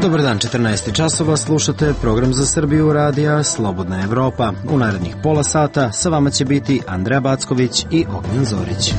Dobar dan, 14 časova, slušate program za Srbiju radija Slobodna Evropa. U narednih pola sata sa vama će biti Andreja Backović i Ognjen Zorić.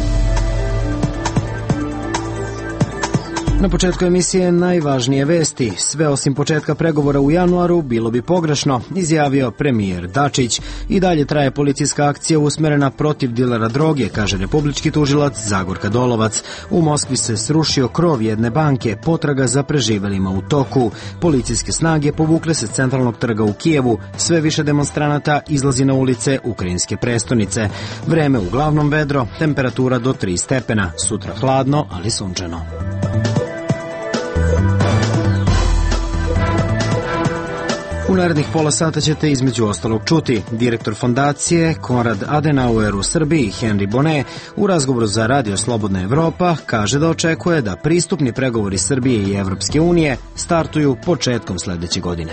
Na početku emisije najvažnije vesti. Sve osim početka pregovora u januaru bilo bi pogrešno, izjavio premijer Dačić. I dalje traje policijska akcija usmerena protiv dilera droge, kaže republički tužilac Zagorka Dolovac. U Moskvi se srušio krov jedne banke, potraga za preživelima u toku. Policijske snage povukle se s centralnog trga u Kijevu. Sve više demonstranata izlazi na ulice ukrajinske prestonice. Vreme uglavnom vedro, temperatura do 3 stepena. Sutra hladno, ali sunčano. U narednih pola sata ćete između ostalog čuti direktor fondacije Konrad Adenauer u Srbiji, Henry Bonnet, u razgovoru za Radio Slobodna Evropa kaže da očekuje da pristupni pregovori Srbije i Evropske unije startuju početkom sledeće godine.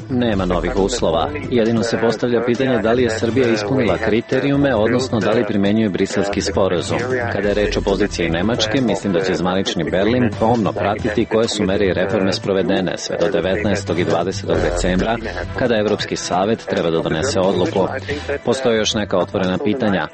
Nema novih uslova. Jedino se postavlja pitanje da li je Srbija ispunila kriterijume, odnosno da li primenjuje Briselski sporazum. Kada je reč o poziciji Nemačke, mislim da će zvanični Berlin pomno pratiti koje su mere i reforme sprovedene sve do 19. i 20. decembra, kada Evropski savet treba da donese odluku. Postoje još neka otvorena pitanja.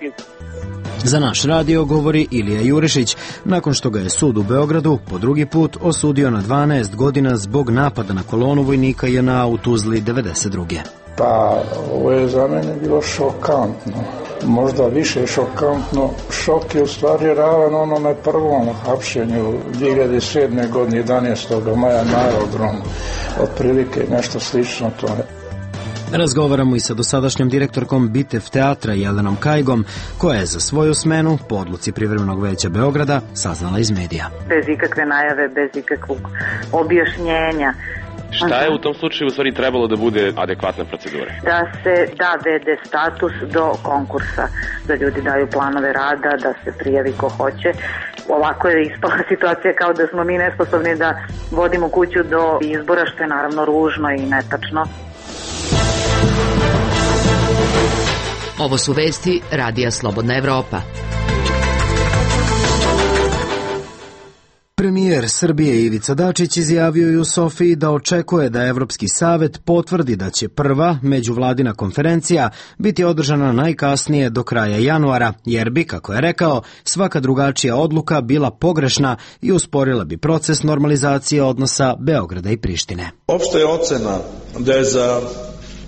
Za naš radio govori Ilija Jurišić, nakon što ga je sud u Beogradu po drugi put osudio na 12 godina zbog napada na kolonu vojnika JNA u Tuzli 92. Pa, ovo je za mene bilo šokantno. Možda više šokantno. Šok je u stvari ravan onome prvom hapšenju 2007. godine 11. maja na aerodromu. Otprilike nešto slično to je. Razgovaramo i sa dosadašnjom direktorkom Bitev teatra Jelenom Kajgom, koja je za svoju smenu po odluci Privremenog veća Beograda saznala iz medija. Bez ikakve najave, bez ikakvog objašnjenja. Šta je u tom slučaju u stvari trebalo da bude adekvatna procedura? Da se da VD status do konkursa, da ljudi daju planove rada, da se prijavi ko hoće. Ovako je ispala situacija kao da smo mi nesposobni da vodimo kuću do izbora, što je naravno ružno i netačno. Ovo su vesti Radija Slobodna Evropa. Premijer Srbije Ivica Dačić izjavio je u Sofiji da očekuje da Evropski savet potvrdi da će prva međuvladina konferencija biti održana najkasnije do kraja januara, jer bi, kako je rekao, svaka drugačija odluka bila pogrešna i usporila bi proces normalizacije odnosa Beograda i Prištine. Opšta je ocena da je za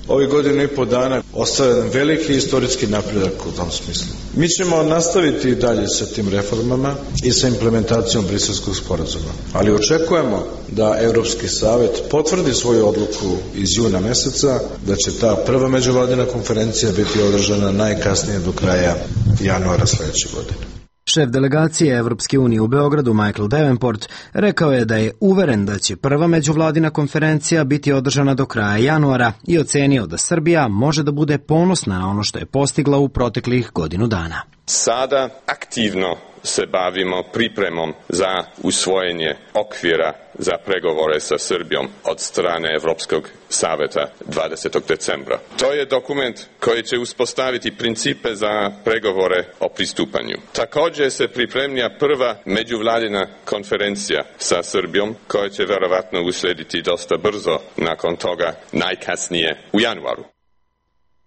ovih godinu i po dana ostvaren veliki istorijski napredak u tom smislu. Mi ćemo nastaviti dalje sa tim reformama i sa implementacijom Briselskog sporazuma, ali očekujemo da Evropski savet potvrdi svoju odluku iz juna meseca, da će ta prva međuvladina konferencija biti održana najkasnije do kraja januara sledeće godine. Šef delegacije Evropske unije u Beogradu, Michael Davenport, rekao je da je uveren da će prva međuvladina konferencija biti održana do kraja januara i ocenio da Srbija može da bude ponosna na ono što je postigla u proteklih godinu dana. Sada aktivno se bavimo pripremom za usvojenje okvira za pregovore sa Srbijom od strane Evropskog saveta 20. decembra. To je dokument koji će uspostaviti principe za pregovore o pristupanju. Također se pripremlja prva međuvladina konferencija sa Srbijom koja će verovatno uslediti dosta brzo nakon toga, najkasnije u januaru.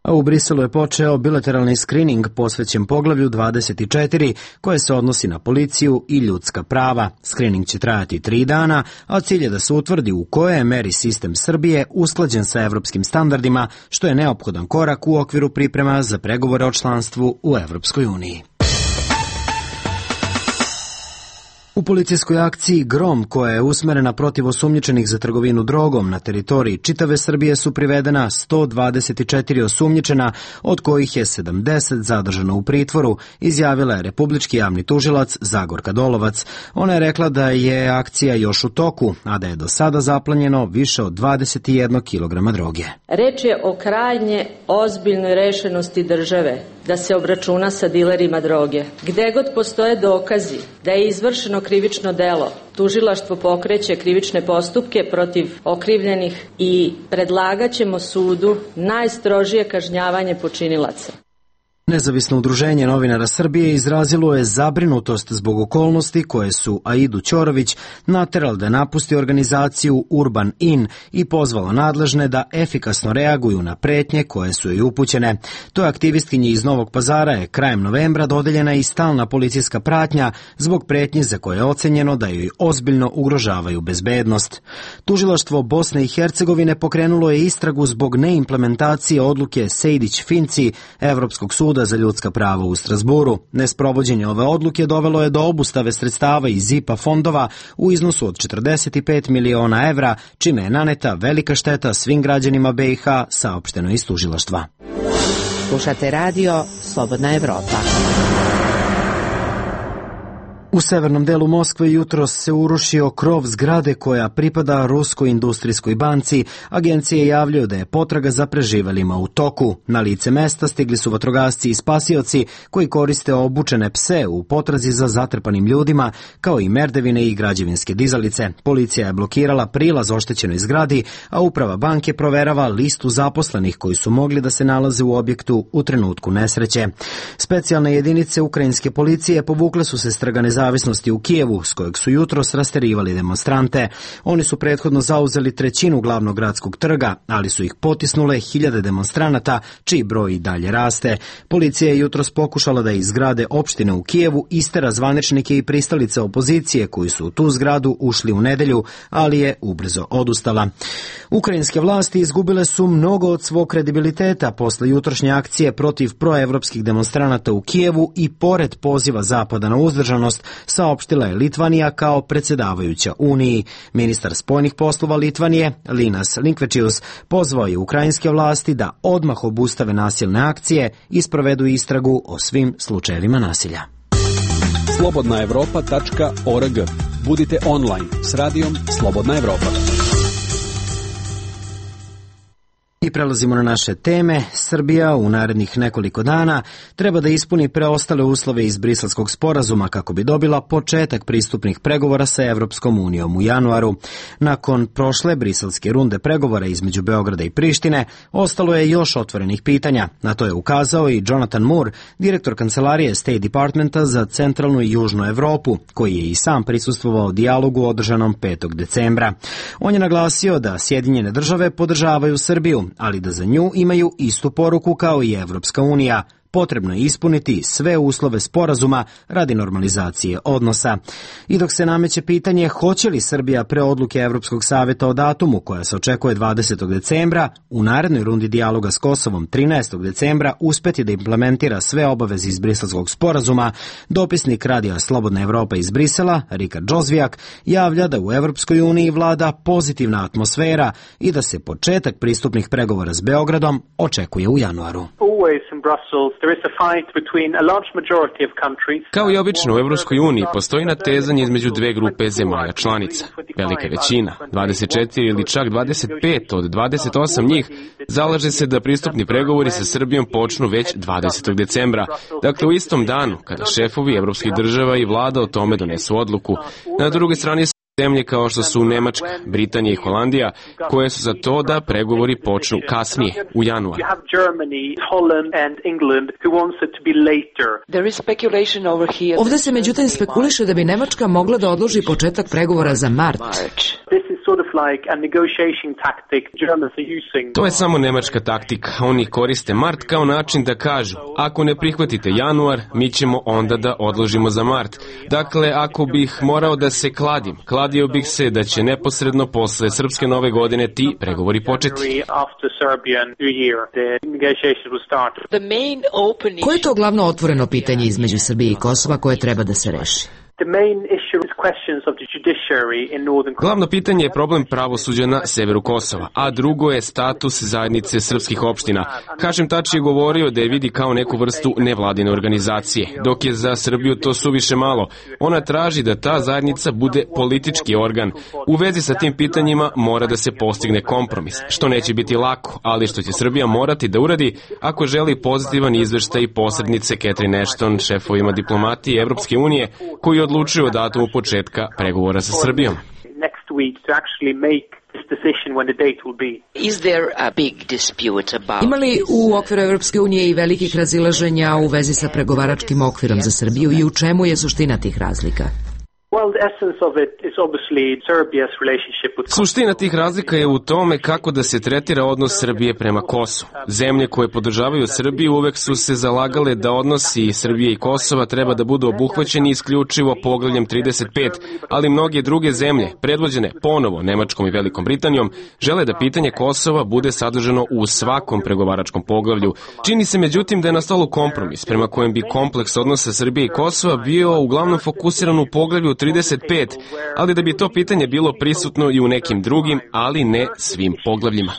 A u Briselu je počeo bilateralni skrining posvećen poglavlju 24 koje se odnosi na policiju i ljudska prava. Skrining će trajati 3 dana, a cilj je da se utvrdi u kojoj je meri sistem Srbije usklađen sa evropskim standardima, što je neophodan korak u okviru priprema za pregovore o članstvu u Evropskoj uniji. U policijskoj akciji Grom, koja je usmerena protiv osumnjičenih za trgovinu drogom na teritoriji čitave Srbije, su privedena 124 osumnjičena, od kojih je 70 zadržano u pritvoru, izjavila je republički javni tužilac Zagorka Dolovac. Ona je rekla da je akcija još u toku, a da je do sada zaplanjeno više od 21 kg droge. Reč je o krajnje ozbiljnoj rešenosti države da se obračuna sa dilerima droge. Gde god postoje dokazi da je izvršeno krivično delo, tužilaštvo pokreće krivične postupke protiv okrivljenih i predlagaćemo sudu najstrožije kažnjavanje počinilaca. Nezavisno udruženje novinara Srbije izrazilo je zabrinutost zbog okolnosti koje su Aidu Ćorović naterali da napusti organizaciju Urban In i pozvalo nadležne da efikasno reaguju na pretnje koje su joj upućene. Toj aktivistkinji iz Novog Pazara je krajem novembra dodeljena i stalna policijska pratnja zbog pretnji za koje je ocenjeno da joj ozbiljno ugrožavaju bezbednost. Tužilaštvo Bosne i Hercegovine pokrenulo je istragu zbog neimplementacije odluke Sejdić-Finci Evropskog suda za ljudska prava u Strasburu. Nesprovođenje ove odluke dovelo je do obustave sredstava iz IPA fondova u iznosu od 45 miliona evra, čime je naneta velika šteta svim građanima BiH, saopšteno iz tužilaštva. Slušate radio Slobodna Evropa. U severnom delu Moskve jutros se urušio krov zgrade koja pripada Ruskoj industrijskoj banci. Agencije javljaju da je potraga za preživelima u toku. Na lice mesta stigli su vatrogasci i spasioci koji koriste obučene pse u potrazi za zatrpanim ljudima, kao i merdevine i građevinske dizalice. Policija je blokirala prilaz oštećenoj zgradi, a uprava banke proverava listu zaposlenih koji su mogli da se nalaze u objektu u trenutku nesreće. Specijalne jedinice ukrajinske policije povukle su se s trga nezavisnosti u Kijevu, s kojeg su jutros rasterivali demonstrante. Oni su prethodno zauzeli trećinu glavnog gradskog trga, ali su ih potisnule hiljade demonstranata, čiji broj i dalje raste. Policija je jutros pokušala da iz zgrade opštine u Kijevu istera zvaničnike i pristalice opozicije koji su u tu zgradu ušli u nedelju, ali je ubrzo odustala. Ukrajinske vlasti izgubile su mnogo od svog kredibiliteta posle jutrošnje akcije protiv proevropskih demonstranata u Kijevu i pored poziva Zapada na uzdržanost, saopštila je Litvanija kao predsjedavajuća Uniji. Ministar spoljnih poslova Litvanije, Linas Linkvečius, pozvao je ukrajinske vlasti da odmah obustave nasilne akcije i sprovedu istragu o svim slučajevima nasilja. slobodnaevropa.org. Budite online s radijom Slobodna Evropa. I prelazimo na naše teme. Srbija u narednih nekoliko dana treba da ispuni preostale uslove iz Briselskog sporazuma kako bi dobila početak pristupnih pregovora sa Evropskom unijom u januaru. Nakon prošle briselske runde pregovora između Beograda i Prištine, ostalo je još otvorenih pitanja. Na to je ukazao i Jonathan Moore, direktor kancelarije State Departmenta za centralnu i južnu Evropu, koji je i sam prisustvovao dijalogu održanom 5. decembra. On je naglasio da Sjedinjene države podržavaju Srbiju, ali da za nju imaju istu poruku kao i Evropska unija. Potrebno je ispuniti sve uslove sporazuma radi normalizacije odnosa. I dok se nameće pitanje hoće li Srbija pre odluke Evropskog savjeta o datumu koja se očekuje 20. decembra, u narednoj rundi dijaloga s Kosovom 13. decembra uspeti da implementira sve obaveze iz Briselskog sporazuma, dopisnik radija Slobodna Evropa iz Brisela, Rikard Džozvijak, javlja da u Evropskoj uniji vlada pozitivna atmosfera i da se početak pristupnih pregovora s Beogradom očekuje u januaru. Kao i obično u Evropskoj uniji postoji natezanje između dve grupe zemalja članica. Velika većina, 24 ili čak 25 od 28 njih, zalaže se da pristupni pregovori sa Srbijom počnu već 20. decembra, dakle u istom danu kada šefovi evropskih država i vlada o tome donesu odluku. Na drugoj strani zemlje kao što su Nemačka, Britanija i Holandija, koje su za to da pregovori počnu kasnije, u januaru. Ovdje se međutim spekuliše da bi Nemačka mogla da odloži početak pregovora za mart. To je samo nemačka taktika. Oni koriste mart kao način da kažu, ako ne prihvatite januar, mi ćemo onda da odložimo za mart. Dakle, ako bih morao da se kladio bih se da će neposredno posle Srpske nove godine ti pregovori početi. Koje je to glavno otvoreno pitanje između Srbije i Kosova koje treba da se reši? Glavno pitanje je problem pravosuđa na severu Kosova, a drugo je status zajednice srpskih opština. Hašim Tači je govorio da je vidi kao neku vrstu nevladine organizacije, dok je za Srbiju to suviše malo. Ona traži da ta zajednica bude politički organ. U vezi sa tim pitanjima mora da se postigne kompromis, što neće biti lako, ali što će Srbija morati da uradi ako želi pozitivan izveštaj posrednice Catherine Ashton, šefovima diplomatije Evropske unije, koji odlučuju o datumu početka pregovora sa Srbijom. Ima li u okviru Evropske unije i velikih razilaženja u vezi sa pregovaračkim okvirom za Srbiju i u čemu je suština tih razlika? Suština tih razlika je u tome kako da se tretira odnos Srbije prema Kosovu. Zemlje koje podržavaju Srbiju uvek su se zalagale da odnosi Srbije i Kosova treba da budu obuhvaćeni isključivo poglavljem 35, ali mnoge druge zemlje, predvođene ponovo Nemačkom i Velikom Britanijom, žele da pitanje Kosova bude sadržano u svakom pregovaračkom poglavlju. Čini se međutim da je nastalo kompromis prema kojem bi kompleks odnosa Srbije i Kosova bio uglavnom fokusiran u poglavlju 35, ali da bi to pitanje bilo prisutno i u nekim drugim, ali ne svim poglavljima.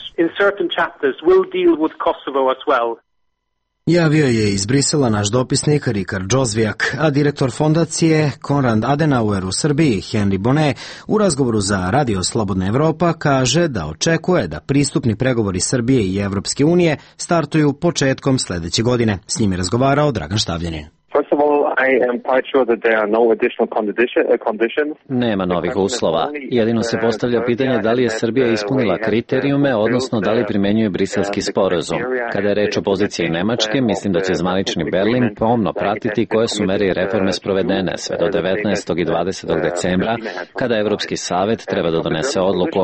Javio je iz Brisela naš dopisnik Rikard Džozvijak, a direktor fondacije Konrad Adenauer u Srbiji, Henry Bonnet, u razgovoru za Radio Slobodna Evropa kaže da očekuje da pristupni pregovori Srbije i Evropske unije startuju početkom sledeće godine. S njim je razgovarao Dragan Štavljanin. Nema novih uslova. Jedino se postavlja pitanje da li je Srbija ispunila kriterijume, odnosno da li primenjuje Briselski sporazum. Kada je reč o poziciji Nemačke, mislim da će zvanični Berlin pomno pratiti koje su mere i reforme sprovedene sve do 19. i 20. decembra, kada Evropski savet treba da donese odluku.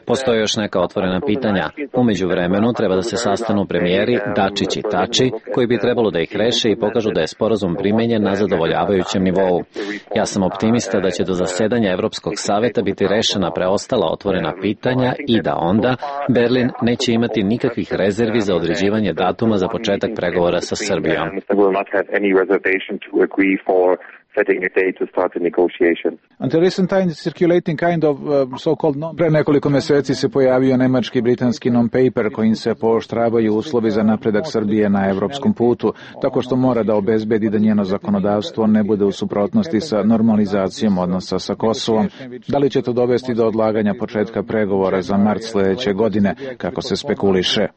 Postoje još neka otvorena pitanja. U međuvremenu treba da se sastanu premijeri Dačić i Tači, koji bi trebalo da ih reše i pokažu da je sporazum primenjen na zadovoljavajućem nivou. Ja sam optimista da će do zasedanja Evropskog saveta biti rešena preostala otvorena pitanja i da onda Berlin neće imati nikakvih rezervi za određivanje datuma za početak pregovora sa Srbijom. Pre nekoliko meseci se pojavio nemački britanski non-paper kojim se pooštravaju uslovi za napredak Srbije na evropskom putu, tako što mora da obezbedi da njeno zakonodavstvo ne bude u suprotnosti sa normalizacijom odnosa sa Kosovom. Da li će to dovesti do odlaganja početka pregovora za mart sledeće godine, kako se spekuliše?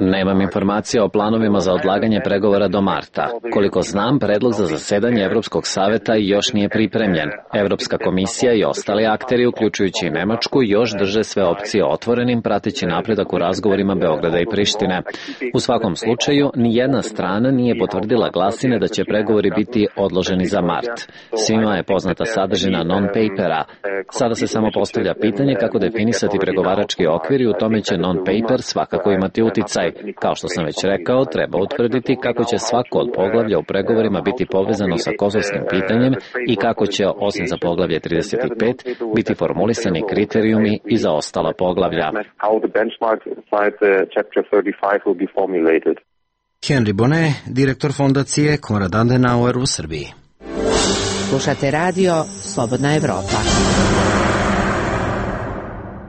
Nemam informacija o planovima za odlaganje pregovora do marta. Koliko znam, predlog za zasedanje Evropskog saveta još nije pripremljen. Evropska komisija i ostali akteri, uključujući i Nemačku, još drže sve opcije otvorenim, prateći napredak u razgovorima Beograda i Prištine. U svakom slučaju, ni jedna strana nije potvrdila glasine da će pregovori biti odloženi za mart. Svima je poznata sadržina non-papera. Sada se samo postavlja pitanje kako definisati pregovarački okvir i u tome će non-paper svakako imati uticaj. Kao što sam već rekao, treba utvrditi kako će svako od poglavlja u pregovorima biti povezano sa kosovskim pitanjem i kako će, osim za poglavlje 35, biti formulisani kriterijumi i za ostala poglavlja. Henry Bonnet, direktor fondacije Konrad Adenauer u Srbiji. Slušate radio Slobodna Evropa.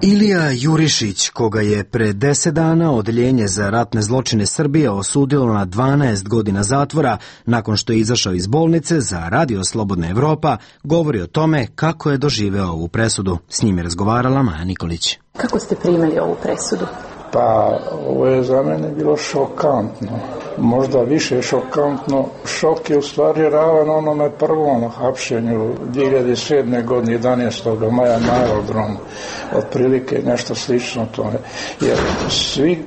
Ilija Jurišić, koga je pre 10 dana Odeljenje za ratne zločine Srbije osudilo na 12 godina zatvora nakon što je izašao iz bolnice, za Radio Slobodna Evropa govori o tome kako je doživeo ovu presudu. S njim je razgovarala Maja Nikolić. Kako ste primili ovu presudu? Pa, ovo je za mene bilo šokantno. Možda više šokantno. Šok je u stvari ravan onome prvom hapšenju 2007. godine 11. maja na aerodromu. Otprilike nešto slično tome. Jer svi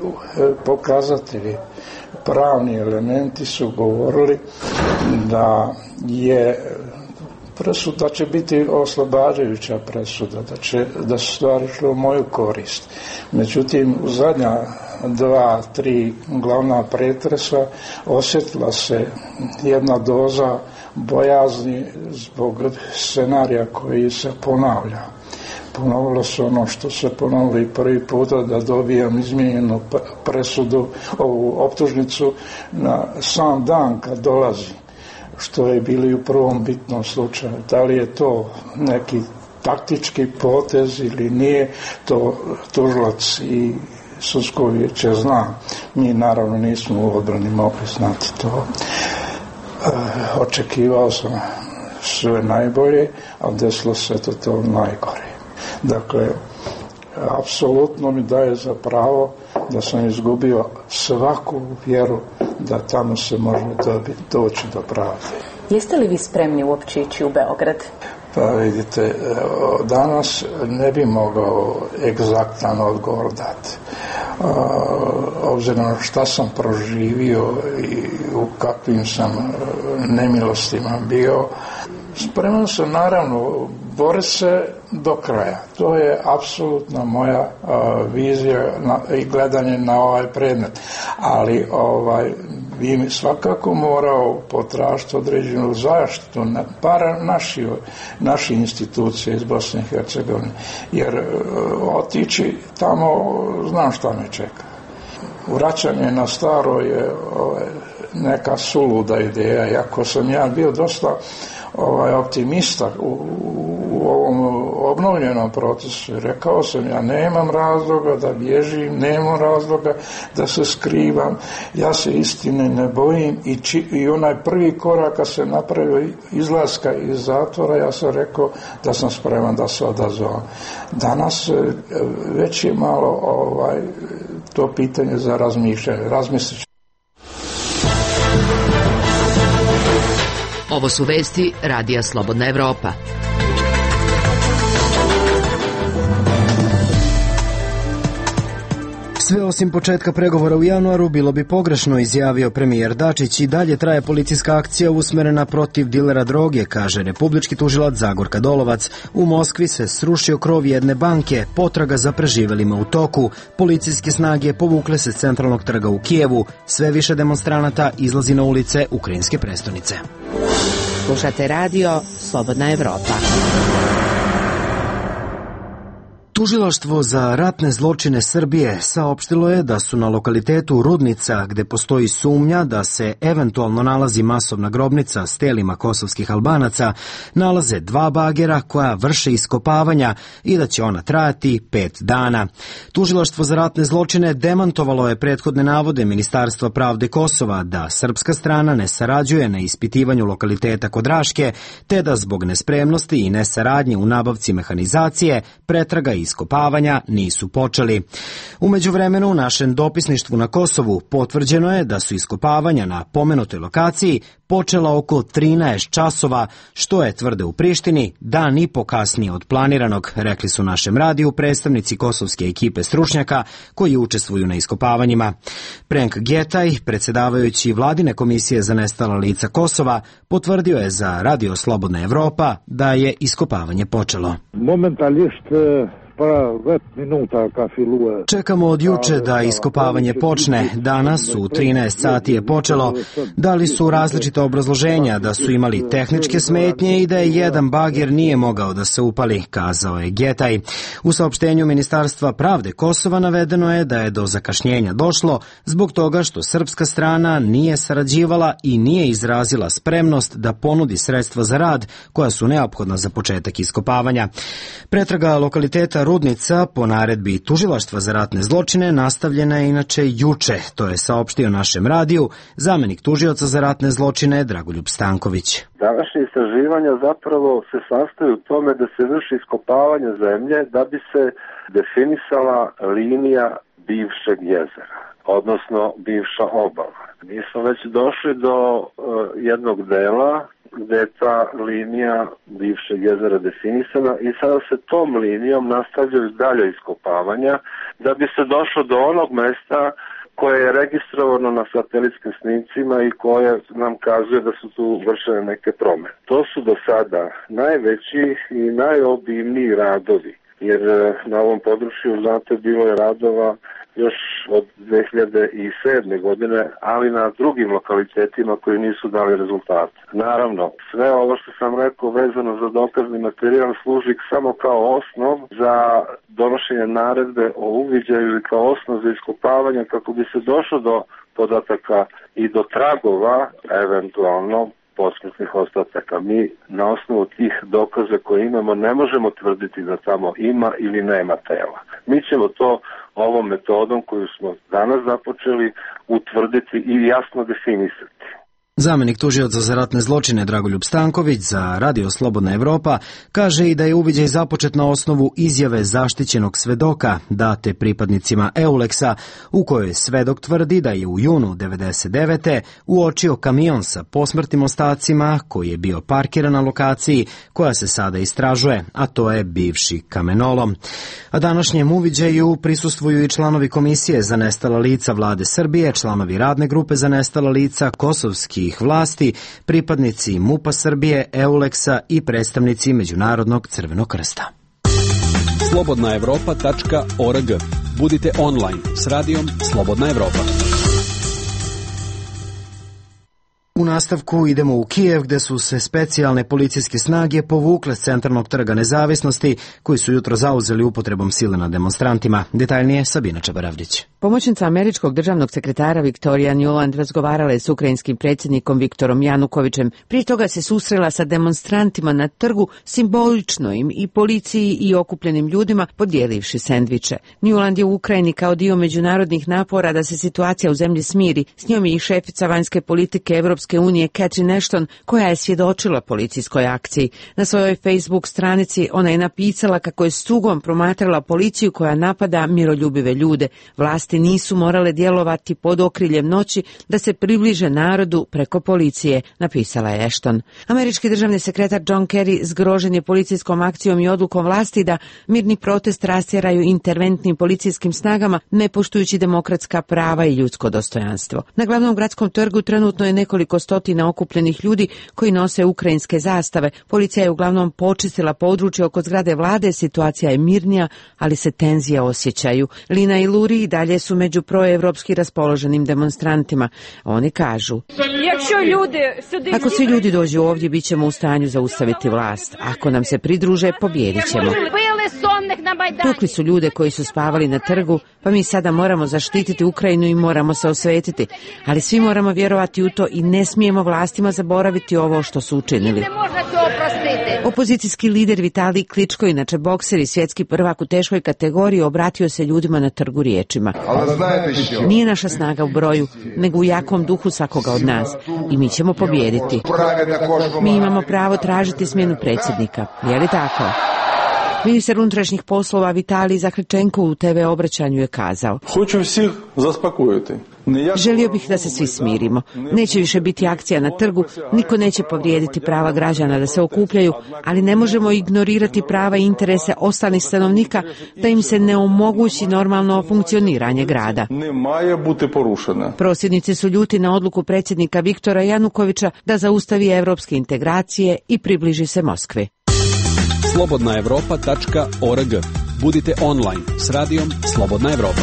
pokazatelji, pravni elementi su govorili da je presuda će biti oslobađajuća presuda, da su stvari šle u moju korist. Međutim, u zadnja 2-3 glavna pretresa osjetila se jedna doza bojazni zbog scenarija koji se ponavlja. Ponovilo se ono što se ponovili prvi puta, da dobijam izmijenjenu presudu, ovu optužnicu na sam dan kad dolazi, što je bili u prvom bitnom slučaju. Da li je to neki taktički potez ili nije, to tužilac i sudsko vijeće zna. Mi naravno nismo u odbrani mogli znati to. Očekivao sam sve najbolje, a desilo se to najgore. Dakle, apsolutno mi daje za pravo da sam izgubio svaku vjeru da tamo se može doći do pravde. Jeste li vi spremni uopće ići u Beograd? Pa vidite, danas ne bi mogao egzaktan odgovor dati. Obzirom na šta sam proživio i u kakvim sam nemilostima bio, spreman sam naravno boriti se do kraja. To je apsolutno moja vizija i gledanje na ovaj predmet. Ali bi mi svakako morao potražiti određenu zaštitu, bar naše institucije iz Bosne i Hercegovine. Jer otići tamo, znam šta me čeka. Vraćanje na staro je neka suluda ideja, iako sam ja bio dosta optimista u ovom obnovljenom procesu. Rekao sam, ja nemam razloga da bježim, nemam razloga da se skrivam, ja se istine ne bojim i onaj prvi korak kad se napravio izlaska iz zatvora, ja sam rekao da sam spreman da se odazovem. Danas već je malo to pitanje za razmišljanje. Razmislit ću. Ovo su vesti Radija Slobodna Evropa. Sve osim početka pregovora u januaru bilo bi pogrešno, izjavio premijer Dačić. I dalje traje policijska akcija usmerena protiv dilera droge, kaže republički tužilac Zagorka Dolovac. U Moskvi se srušio krov jedne banke, potraga za preživelima u toku. Policijske snage povukle se s centralnog trga u Kijevu. Sve više demonstranata izlazi na ulice ukrajinske prestonice. Slušate radio Slobodna Evropa. Tužilaštvo za ratne zločine Srbije saopštilo je da su na lokalitetu Rudnica, gde postoji sumnja da se eventualno nalazi masovna grobnica s telima kosovskih Albanaca, nalaze 2 bagera koja vrše iskopavanja i da će ona trajati 5 dana. Tužilaštvo za ratne zločine demantovalo je prethodne navode Ministarstva pravde Kosova da srpska strana ne sarađuje na ispitivanju lokaliteta kod Raške, te da zbog nespremnosti i nesaradnje u nabavci mehanizacije pretraga i iskopavanja nisu počeli. U međuvremenu u našem dopisništvu na Kosovu potvrđeno je da su iskopavanja na pomenutoj lokaciji počela oko 13 časova, što je, tvrde u Prištini, dan i po kasnije od planiranog, rekli su našem radiju predstavnici kosovske ekipe stručnjaka koji učestvuju na iskopavanjima. Prenk Getaj, predsjedavajući vladine komisije za nestala lica Kosova, potvrdio je za Radio Slobodna Evropa da je iskopavanje počelo. Čekamo od juče da iskopavanje počne. Danas u 13 sati je počelo. Dali su različita obrazloženja da su imali tehničke smetnje i da je jedan bager nije mogao da se upali, kazao je Getaj. U saopštenju Ministarstva pravde Kosova navedeno je da je do zakašnjenja došlo zbog toga što srpska strana nije sarađivala i nije izrazila spremnost da ponudi sredstva za rad koja su neophodna za početak iskopavanja. Pretraga lokaliteta Rudnica po naredbi Tužilaštva za ratne zločine nastavljena je inače juče, to je saopštio našem radiju zamenik tužioca za ratne zločine Dragoljub Stanković. Današnje istraživanja zapravo se sastoji u tome da se vrši iskopavanje zemlje da bi se definisala linija bivšeg jezera, odnosno bivša obala. Mi smo već došli do jednog dela gde je ta linija bivšeg jezera definisana i sada se tom linijom nastavljaju dalje iskopavanja da bi se došlo do onog mesta koje je registrovano na satelitskim snimcima i koje nam kazuje da su tu vršene neke promene. To su do sada najveći i najobimniji radovi, jer na ovom području, znate, bilo je radova još od 2007. godine, ali na drugim lokalitetima koji nisu dali rezultate. Naravno, sve ovo što sam rekao vezano za dokazni materijal služi samo kao osnov za donošenje naredbe o uviđaju ili kao osnov za iskopavanje kako bi se došlo do podataka i do tragova, eventualno posmrtnih ostataka. Mi na osnovu tih dokaza koje imamo ne možemo tvrditi da tamo ima ili nema tela. Mi ćemo to ovom metodom koju smo danas započeli utvrditi i jasno definisati. Zamenik tužioca za ratne zločine Dragoljub Stanković za Radio Slobodna Evropa kaže i da je uviđaj započet na osnovu izjave zaštićenog svedoka date pripadnicima Euleksa, u kojoj svedok tvrdi da je u junu 1999. uočio kamion sa posmrtnim ostacima koji je bio parkiran na lokaciji koja se sada istražuje, a to je bivši kamenolom. A današnjem uviđaju prisustvuju i članovi Komisije za nestala lica Vlade Srbije, članovi Radne grupe za nestala lica kosovskih vlasti, pripadnici MUP-a Srbije, Euleksa i predstavnici Međunarodnog Crvenog krsta. slobodnaevropa.org. Budite online s radijom Slobodna Evropa. U nastavku idemo u Kijev, gde su se specijalne policijske snage povukle s centralnog trga Nezavisnosti, koji su jutro zauzeli upotrebom sile nad demonstrantima. Detaljnije Sabina Čabaravdić. Pomoćnica američkog državnog sekretara Viktorija Nuland razgovarala je s ukrajinskim predsjednikom Viktorom Janukovićem. Prije toga se susrela sa demonstrantima na trgu, simbolično im i policiji i okupljenim ljudima podijelivši sendviče. Nuland je u Ukrajini kao dio međunarodnih napora da se situacija u zemlji smiri. S njom je i šefica vanjske politike Evropske unije Catherine Ashton, koja je svjedočila policijskoj akciji. Na svojoj Facebook stranici ona je napisala kako je s tugom promatrala policiju koja napada miroljubive ljude. Vlasti nisu morale djelovati pod okriljem noći da se približe narodu preko policije, napisala je Ashton. Američki državni sekretar John Kerry zgrožen je policijskom akcijom i odlukom vlasti da mirni protest rastjeraju interventnim policijskim snagama, ne poštujući demokratska prava i ljudsko dostojanstvo. Na glavnom gradskom trgu trenutno je nekoliko stotina okupljenih ljudi koji nose ukrajinske zastave. Policija je uglavnom počistila područje oko zgrade vlade, situacija je mirnija, ali se tenzije osjećaju. Lina i Luri i dalje su među proevropski raspoloženim demonstrantima. Oni kažu: ako svi ljudi dođu ovdje, bit ćemo u stanju zaustaviti vlast. Ako nam se pridruže, pobijedit ćemo. Tukli su ljude koji su spavali na trgu, pa mi sada moramo zaštititi Ukrajinu i moramo se osvetiti. Ali svi moramo vjerovati u to i ne smijemo vlastima zaboraviti ovo što su učinili. Opozicijski lider Vitalij Kličko, inače bokser i svjetski prvak u teškoj kategoriji, obratio se ljudima na trgu riječima: nije naša snaga u broju, nego u jakom duhu svakoga od nas i mi ćemo pobijediti. Mi imamo pravo tražiti smjenu predsjednika, je li tako? Ministar unutrašnjih poslova Vitalij Zahrčenko u TV obraćanju je kazao: hoću svih zaspokojiti. Želio bih da se svi smirimo. Neće više biti akcija na trgu, niko neće povrijediti prava građana da se okupljaju, ali ne možemo ignorirati prava i interese ostalih stanovnika da im se ne omogući normalno funkcioniranje grada. Prosvjednici su ljuti na odluku predsjednika Viktora Janukovića da zaustavi evropske integracije i približi se Moskvi. slobodnaevropa.org. Budite online s radijom Slobodna Evropa.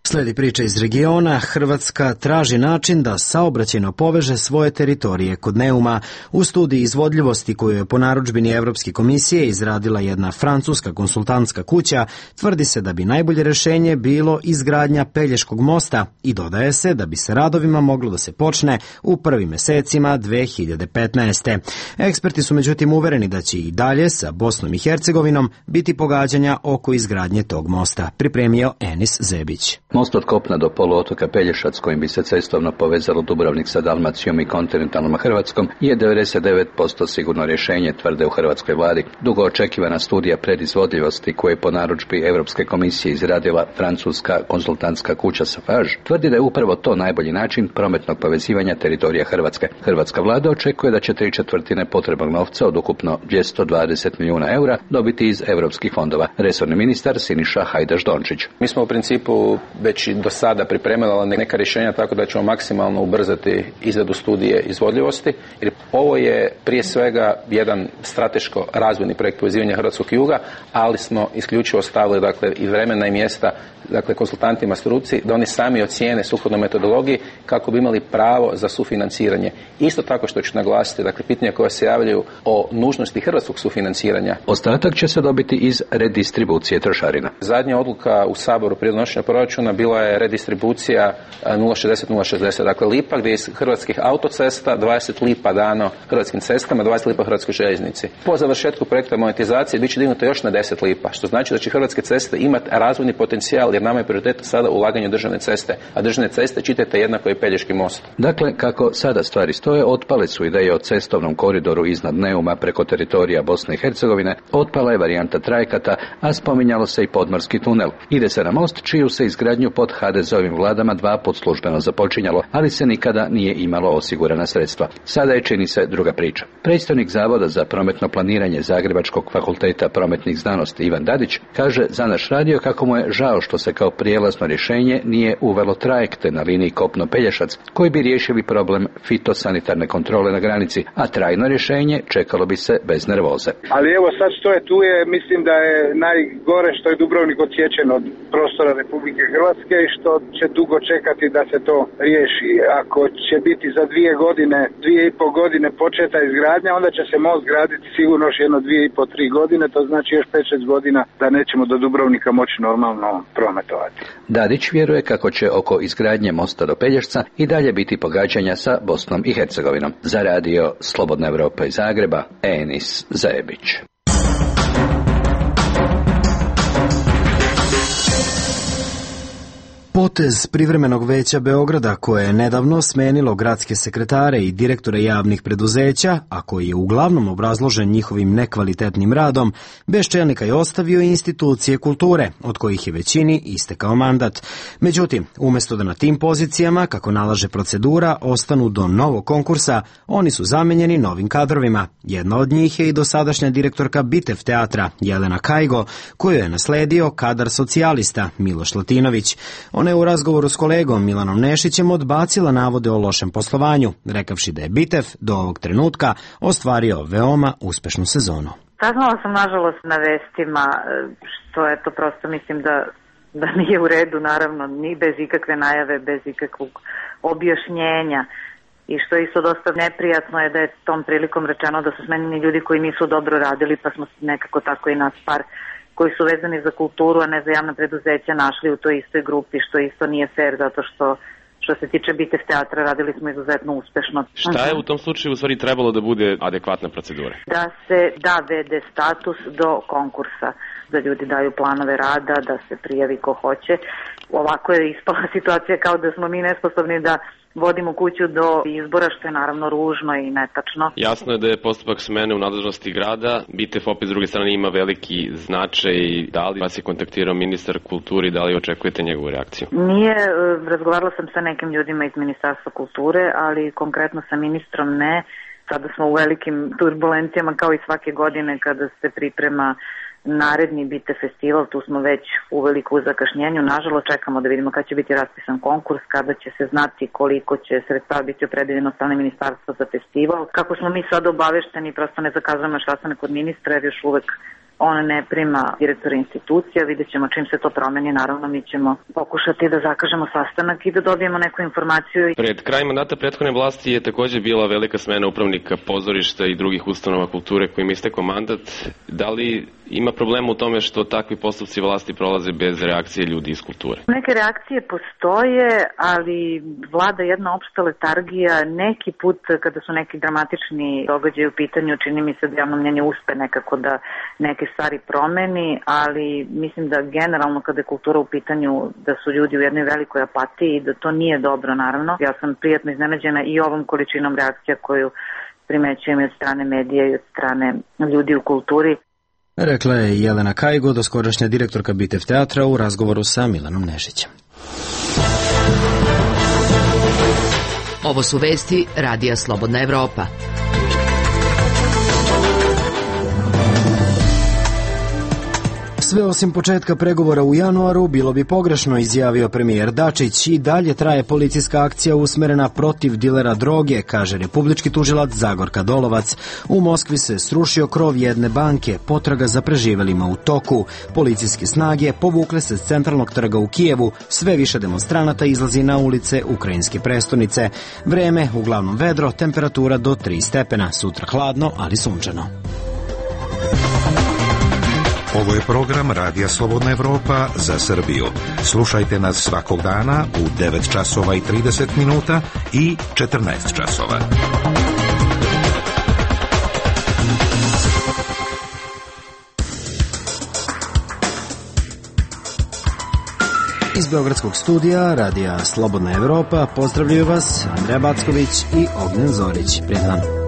Slijedi priča iz regiona. Hrvatska traži način da saobraćajno poveže svoje teritorije kod Neuma. U studiji izvodljivosti koju je po narudžbini Evropske komisije izradila jedna francuska konsultantska kuća, tvrdi se da bi najbolje rješenje bilo izgradnja Pelješkog mosta i dodaje se da bi se radovima moglo da se počne u prvim mjesecima 2015. Eksperti su međutim uvereni da će i dalje sa Bosnom i Hercegovinom biti pogađanja oko izgradnje tog mosta. Pripremio Enis Zebić. Most od kopna do poluotoka Pelješac, kojim bi se cestovno povezalo Dubrovnik sa Dalmacijom i kontinentalnom Hrvatskom, je 99% sigurno rješenje, tvrde u hrvatskoj vladi. Dugo očekivana studija predizvodljivosti koju je po narudžbi Europske komisije izradila francuska konsultantska kuća Safage tvrdi da je upravo to najbolji način prometnog povezivanja teritorija Hrvatske. Hrvatska vlada očekuje da će 3/4 potrebnog novca od ukupno 220 milijuna eura dobiti iz europskih fondova. Resorni ministar Siniša Hajdaš-Dončić. Mi smo u principu već i do sada pripremila neka rješenja tako da ćemo maksimalno ubrzati izradu studije izvodljivosti, jer ovo je prije svega jedan strateško razvojni projekt povezivanja hrvatskog juga, ali smo isključivo stavili i vremena i mjesta konsultantima struci da oni sami ocijene sukladno metodologiji kako bi imali pravo za sufinanciranje. Isto tako što ću naglasiti, pitanja koja se javljaju o nužnosti hrvatskog sufinanciranja. Ostatak će se dobiti iz redistribucije trošarina. Zadnja odluka u Saboru prije donošenja proračuna bila je redistribucija 0,60-0,60, dakle lipa, gdje iz hrvatskih autocesta 20 lipa dano hrvatskim cestama, 20 lipa hrvatskoj željeznici. Po završetku projekta monetizacije bit će dignuto još na 10 lipa, što znači da će hrvatske ceste imati razvojni potencijal, jer nama je prioritet sada ulaganje u državne ceste, a državne ceste čitajte jednako i Pelješki most. Dakle, kako sada stvari stoje, otpale su ideje o cestovnom koridoru iznad Neuma preko teritorija Bosne i Hercegovine, otpala je varijanta trajekata, a spominjalo se i podmorski tunel. Ide se na most čiju se izgradnju pod HDZ-ovim vladama 2 puta službeno započinjalo, ali se nikada nije imalo osigurana sredstva. Sada je, čini se, druga priča. Predstojnik Zavoda za prometno planiranje Zagrebačkog fakulteta prometnih znanosti Ivan Dadić kaže za naš radio kako mu je žao što se kao prijelazno rješenje nije uvelo trajekte na liniji Kopno-Pelješac koji bi riješili problem fitosanitarne kontrole na granici, a trajno rješenje čekalo bi se bez nervoze. Ali evo sad što je tu je, mislim da je najgore što je Dubrovnik odsječen od prostora Republike Hrvatske i što će dugo čekati da se to riješi. Ako će biti za 2,5 godine početa izgradnja, onda će se most graditi sigurno još jedno 2,5-3 godine, to znači još 5-6 godina da nećemo do Dubrovnika moći normalno prometovati. Dadić vjeruje kako će oko izgradnje mosta do Pelješca i dalje biti pogađanja sa Bosnom i Hercegovinom. Za radio Slobodna Evropa iz Zagreba, Enis Zajebić. Potez privremenog veća Beograda koje je nedavno smenilo gradske sekretare i direktore javnih preduzeća, a koji je uglavnom obrazložen njihovim nekvalitetnim radom, bez čelnika je ostavio i institucije kulture, od kojih je većini istekao mandat. Međutim, umjesto da na tim pozicijama, kako nalaže procedura, ostanu do novog konkursa, oni su zamenjeni novim kadrovima. Jedna od njih je i dosadašnja direktorka Bitev teatra, Jelena Kajgo, koju je nasledio kadar socijalista Miloš Latinović. Ona je u razgovoru s kolegom Milanom Nešićem odbacila navode o lošem poslovanju, rekavši da je Bitev do ovog trenutka ostvario veoma uspešnu sezonu. Saznala sam nažalost na vestima, što je to prosto mislim da nije u redu, naravno, ni bez ikakve najave, bez ikakvog objašnjenja. I što je isto dosta neprijatno je da je tom prilikom rečeno da su smenjeni ljudi koji nisu dobro radili, pa smo nekako tako i nas par koji su vezani za kulturu, a ne za javna preduzeća, našli u toj istoj grupi, što isto nije fair, zato što se tiče Bitev teatra, radili smo izuzetno uspešno. Šta je u tom slučaju u stvari trebalo da bude adekvatna procedura? Da se da VD status do konkursa, da ljudi daju planove rada, da se prijavi ko hoće. Ovako je ispala situacija kao da smo mi nesposobni da vodimo kuću do izbora, što je naravno ružno i netačno. Jasno je da je postupak smene u nadležnosti grada. Bitev opet s druge strane ima veliki značaj. Da li vas je kontaktirao ministar kulture i da li očekujete njegovu reakciju? Nije, razgovarala sam sa nekim ljudima iz Ministarstva kulture, ali konkretno sa ministrom ne. Sada smo u velikim turbulencijama kao i svake godine kada se priprema naredni Bitev festival, tu smo već uveliko u zakašnjenju. Nažalost, čekamo da vidimo kada će biti raspisan konkurs, kada će se znati koliko će sredstava biti opredeljeno od strane ministarstva za festival. Kako smo mi sad obavešteni, prosto ne zakazujemo sastanak kod ministra, jer još uvek on ne prima direktora institucija, vidjet ćemo čim se to promeni, naravno mi ćemo pokušati da zakažemo sastanak i da dobijemo neku informaciju. Pred krajem mandata prethodne vlasti je također bila velika smena upravnika pozorišta i drugih ustanova kulture kojim istekao mandat. Da li ima problema u tome što takvi postupci vlasti prolaze bez reakcije ljudi iz kulture? Neke reakcije postoje, ali vlada jedna opšta letargija. Neki put kada su neki dramatični događaji u pitanju, čini mi se da javno mnjenje uspe nekako da neke stvari promeni, ali mislim da generalno kada je kultura u pitanju da su ljudi u jednoj velikoj apatiji i da to nije dobro, naravno. Ja sam prijatno iznenađena i ovom količinom reakcija koju primećujem od strane medija i od strane ljudi u kulturi. Rekla je Jelena Kajgo, doskorašnja direktorka Bitev teatra u razgovoru sa Milanom Nešićem. Ovo su vesti Radija Slobodna Evropa. Sve osim početka pregovora u januaru bilo bi pogrešno, izjavio premijer Dačić. I dalje traje policijska akcija usmerena protiv dilera droge, kaže republički tužilac Zagorka Dolovac. U Moskvi se srušio krov jedne banke, potraga za preživelima u toku. Policijske snage povukle se s centralnog trga u Kijevu, sve više demonstranata izlazi na ulice ukrajinske prestonice. Vreme uglavnom vedro, temperatura do 3 stepena, sutra hladno, ali sunčano. Ovo je program Radija Slobodna Evropa za Srbiju. Slušajte nas svakog dana u 9 časova i 30 minuta i 14 časova. Iz Beogradskog studija Radija Slobodna Evropa pozdravljaju vas Andreja Backović i Ognjen Zorić. Prijatno.